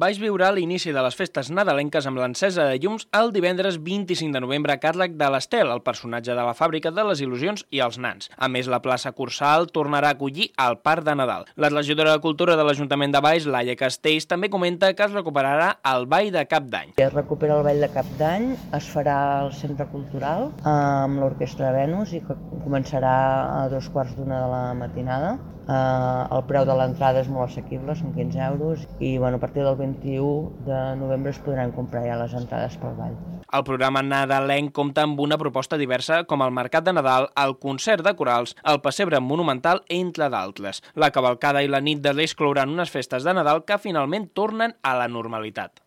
Baix viurà l'inici de les festes nadalenques amb l'encesa de llums el divendres 25 de novembre a càrrec de l'Estel, el personatge de la Fàbrica de les Il·lusions i els Nans. A més, la plaça Cursal tornarà a acollir el Parc de Nadal. La regidora de Cultura de l'Ajuntament de Baix, Laia Castells, també comenta que es recuperarà el Ball de Cap d'Any. Es recupera el Ball de Cap d'Any, es farà al Centre Cultural amb l'Orquestra Venus i que començarà a 2:15 de la matinada. El preu de l'entrada és molt assequible, són 15 euros i a partir del 21 de novembre es podran comprar ja les entrades pel ball. El programa nadalenc compta amb una proposta diversa com el Mercat de Nadal, el concert de corals, el pessebre monumental, entre d'altres. La cavalcada i la nit de l'Eix clouran unes festes de Nadal que finalment tornen a la normalitat.